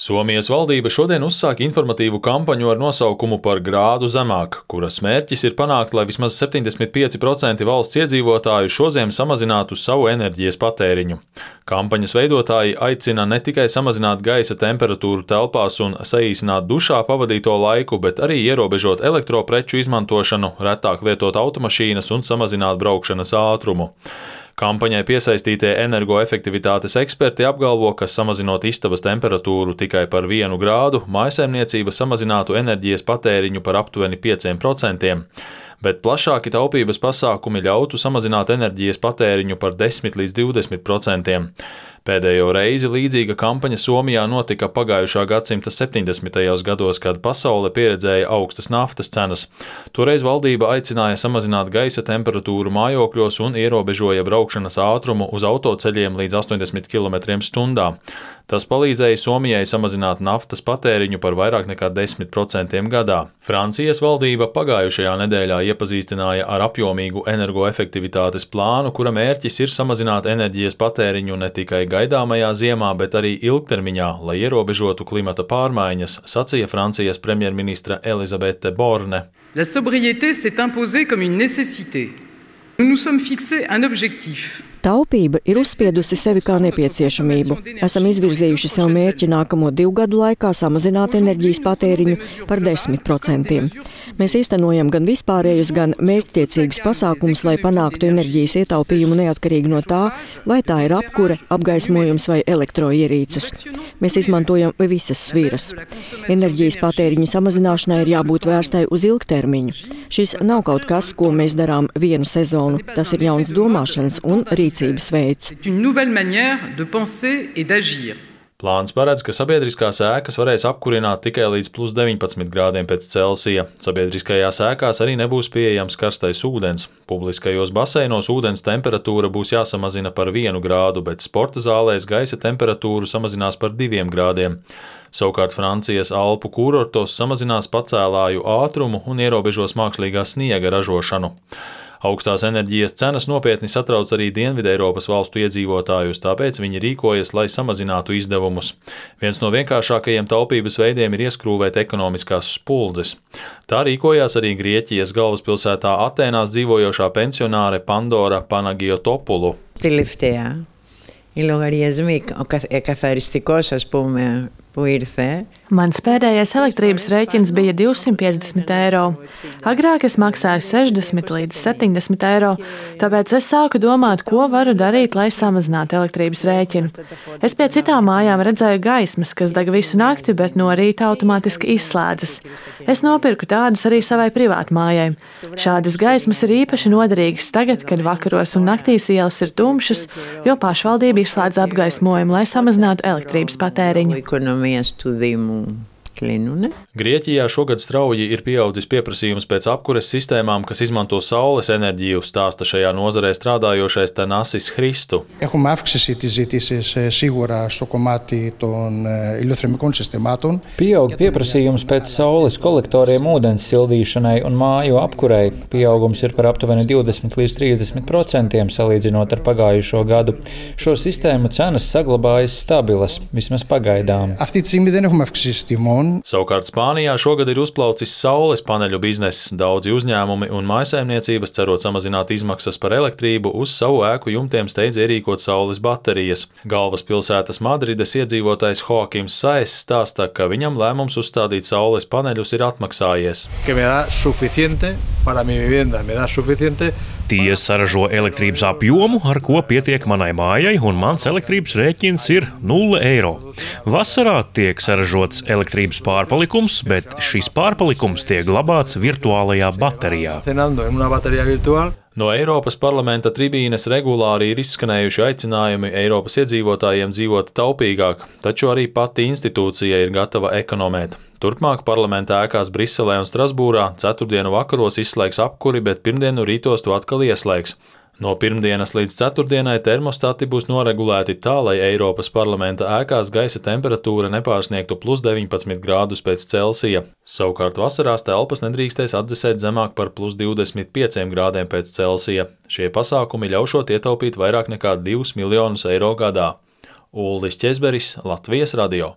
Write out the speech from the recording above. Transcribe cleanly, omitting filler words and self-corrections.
Somijas valdība šodien uzsāk informatīvu kampaņu ar nosaukumu Par grādu zemāk, kuras mērķis ir panākt, lai vismaz 75% valsts iedzīvotāju šoziem samazinātu savu enerģijas patēriņu. Kampaņas veidotāji aicina ne tikai samazināt gaisa temperatūru telpās un saīsināt dušā pavadīto laiku, bet arī ierobežot elektropreču izmantošanu, retāk lietot automašīnas un samazināt braukšanas ātrumu. Kampaņai piesaistītie energoefektivitātes eksperti apgalvo, ka samazinot istabas temperatūru tikai par 1 grādu, mājsaimniecība samazinātu enerģijas patēriņu par aptuveni 5%, bet plašāki taupības pasākumi ļautu samazināt enerģijas patēriņu par 10 līdz 20%. Pēdējo reizi līdzīga kampaņa Somijā notika pagājušā gadsimta 70. gados, kad pasaule pieredzēja augstas naftas cenas. Toreiz valdība aicināja samazināt gaisa temperatūru mājokļos un ierobežoja braukšanas ātrumu uz autoceļiem līdz 80 km/h. Tas palīdzēja Somijai samazināt naftas patēriņu par vairāk nekā 10% gadā. Francijas valdība pagājušajā nedēļā iepazīstināja ar apjomīgu energoefektivitātes plānu, kura mērķis ir samazināt enerģijas patēriņu ne tikai gaidāmajā ziemā, bet arī ilgtermiņā, lai ierobežotu klimata pārmaiņas, sacīja Francijas premjerministre Elisabeth Borne. La sobriété s'est imposée comme une nécessité. Nous nous sommes fixés un objectif. Taupība ir uzspiedusi sevi kā nepieciešamību. Esam izvirzījuši sev mērķi nākamo 2 gadu laikā samazināt enerģijas patēriņu par 10%. Mēs īstenojam gan vispārējus, gan mērķtiecīgus pasākumus, lai panāktu enerģijas ietaupījumu neatkarīgi no tā, vai tā ir apkure, apgaismojums vai elektroierīces. Mēs izmantojam visas sviras. Enerģijas patēriņa samazināšanai ir jābūt vērstai uz ilgtermiņu. Šis nav kaut kas, ko mēs darām vienu sezonu. Tas ir jauns domāšanas un rīcības veids. Plāns paredz, ka sabiedriskās ēkas varēs apkurināt tikai līdz +19 grādiem pēc Celsija. Sabiedriskajās ēkās arī nebūs pieejams karstais ūdens. Publiskajos baseinos ūdens temperatūra būs jāsamazina par 1 grādu, bet sporta zālēs gaisa temperatūru samazinās par 2 grādiem. Savukārt Francijas Alpu kurortos samazinās pacēlāju ātrumu un ierobežos mākslīgā sniega ražošanu. Augstās enerģijas cenas nopietni satrauc arī Dienvideiropas valstu iedzīvotājus, tāpēc viņi rīkojas, lai samazinātu izdevumus. Viens no vienkāršākajiem taupības veidiem ir ieskrūvēt ekonomiskās spuldzes. Tā rīkojās arī Grieķijas galvaspilsētā Atēnās dzīvojošā pensionāre Pandora Panagiotopulu. Οι λογαριασμοί, ο καθαριστικός, ας πούμε, που ήρθε. Mans pēdējais elektrības rēķins bija 250 eiro. Agrāk es maksāju 60 līdz 70 eiro, tāpēc es sāku domāt, ko varu darīt, lai samazinātu elektrības rēķinu. Es pie citām mājām redzēju gaismas, kas deg visu nakti, bet no rīta automātiski izslēdzas. Es nopirku tādas arī savai privātmājai. Šādas gaismas ir īpaši noderīgas tagad, kad vakaros un naktīs ielas ir tumšas, jo pašvaldība izslēdz apgaismojumu, lai samazinātu elektrības patēriņu. Grieķijā šogad strauji ir pieaudzis pieprasījums pēc apkures sistēmām, kas izmanto saules enerģiju, stāsta šajā nozarē strādājošais Tanasis Christu. Pieaug pieprasījums pēc saules kolektoriem ūdens sildīšanai un māju apkurei. Pieaugums ir par aptuveni 20 līdz 30% salīdzinot ar pagājušo gadu. Šo sistēmu cenas saglabājas stabilas, vismaz pagaidām. Savukārt Spānijā šogad ir uzplaucis saules paneļu bizness. Daudzi uzņēmumi un mājsaimniecības, cerot samazināt izmaksas par elektrību, uz savu ēku jumtiem steidz ierīkot saules baterijas. Galvaspilsētas Madrides iedzīvotājs Joakims Saez stāsta, ka viņam lēmums uzstādīt saules paneļus ir atmaksājies. Tie saražo elektrības apjomu, ar ko pietiek manai mājai, un mans elektrības rēķins ir 0 eiro. Vasarā tiek saražots elektrības pārpalikums, bet šis pārpalikums tiek glabāts virtuālajā baterijā. No Eiropas parlamenta tribīnes regulāri ir izskanējuši aicinājumi Eiropas iedzīvotājiem dzīvot taupīgāk, taču arī pati institūcija ir gatava ekonomēt. Turpmāk parlamenta ēkās Briselē un Strasbūrā ceturtdienu vakaros izslēgs apkuri, bet pirmdienu rītos to atkal ieslēgs. No pirmdienas līdz ceturtdienai termostati būs noregulēti tā, lai Eiropas parlamenta ēkās gaisa temperatūra nepārsniegtu +19 grādus pēc Celsija. Savukārt vasarās telpas nedrīkstēs atdzesēt zemāk par +25 grādiem pēc Celsija. Šie pasākumi ļaušot ietaupīt vairāk nekā 2 miljonus eiro gadā. Ulris Ķezberis, Latvijas radio.